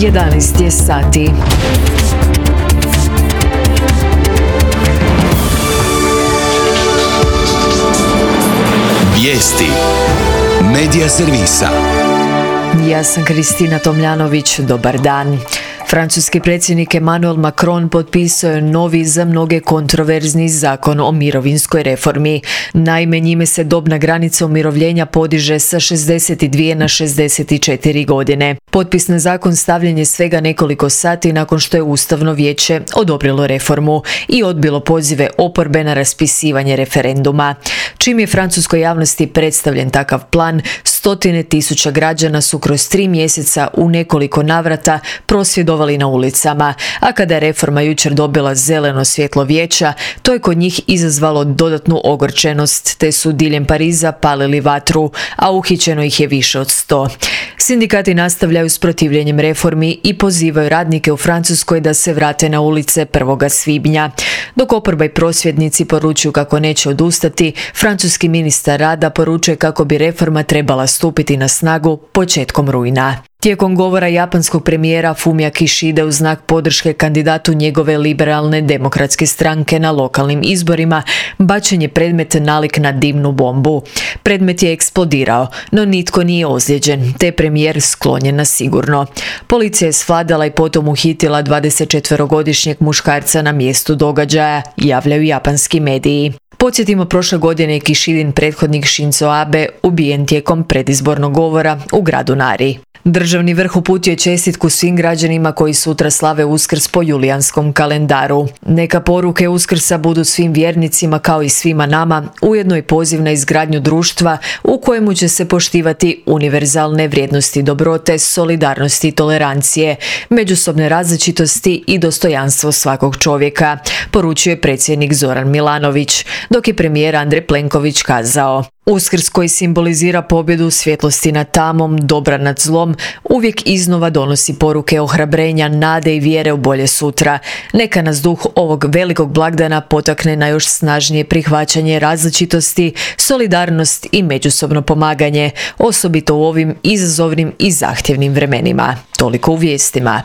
11 je sati. Vijesti Medija servisa. Ja sam Kristina Tomljanović, dobar dan. Francuski predsjednik Emmanuel Macron potpisao je novi, za mnoge kontroverzni zakon o mirovinskoj reformi. Naime, njime se dobna granica umirovljenja podiže sa 62 na 64 godine. Potpis na zakon stavljen je svega nekoliko sati nakon što je Ustavno vijeće odobrilo reformu i odbilo pozive oporbe na raspisivanje referenduma. Čim je francuskoj javnosti predstavljen takav plan, stotine tisuća građana su kroz 3 mjeseca u nekoliko navrata prosvjedovali na ulicama, a kada je reforma jučer dobila zeleno svjetlo vijeća, to je kod njih izazvalo dodatnu ogorčenost, te su diljem Pariza palili vatru, a uhićeno ih je više od 100. Sindikati nastavljaju s protivljenjem reformi i pozivaju radnike u Francuskoj da se vrate na ulice 1. svibnja. Dok oporba i prosvjednici poručuju kako neće odustati, francuski ministar rada poručuje kako bi reforma trebala stupiti na snagu početkom rujna. Tijekom govora japanskog premijera Fumia Kishide u znak podrške kandidatu njegove liberalne demokratske stranke na lokalnim izborima, bačen je predmet nalik na dimnu bombu. Predmet je eksplodirao, no nitko nije ozlijeđen, te premijer sklonjen na sigurno. Policija je svladala i potom uhitila 24-godišnjeg muškarca na mjestu događaja, javljaju japanski mediji. Podsjetimo, prošle godine je Kishidin prethodnik Shinzo Abe ubijen tijekom predizbornog govora u gradu Nari. Državni vrh uputio je čestitku svim građanima koji sutra slave Uskrs po julijanskom kalendaru. Neka poruke Uskrsa budu svim vjernicima kao i svima nama, ujedno i poziv na izgradnju društva u kojemu će se poštivati univerzalne vrijednosti dobrote, solidarnosti i tolerancije, međusobne različitosti i dostojanstvo svakog čovjeka, poručuje predsjednik Zoran Milanović, dok je premijer Andrej Plenković kazao: Uskrs, koji simbolizira pobjedu svjetlosti nad tamom, dobra nad zlom, uvijek iznova donosi poruke ohrabrenja, nade i vjere u bolje sutra. Neka nas duh ovog velikog blagdana potakne na još snažnije prihvaćanje različitosti, solidarnost i međusobno pomaganje, osobito u ovim izazovnim i zahtjevnim vremenima. Toliko u vijestima.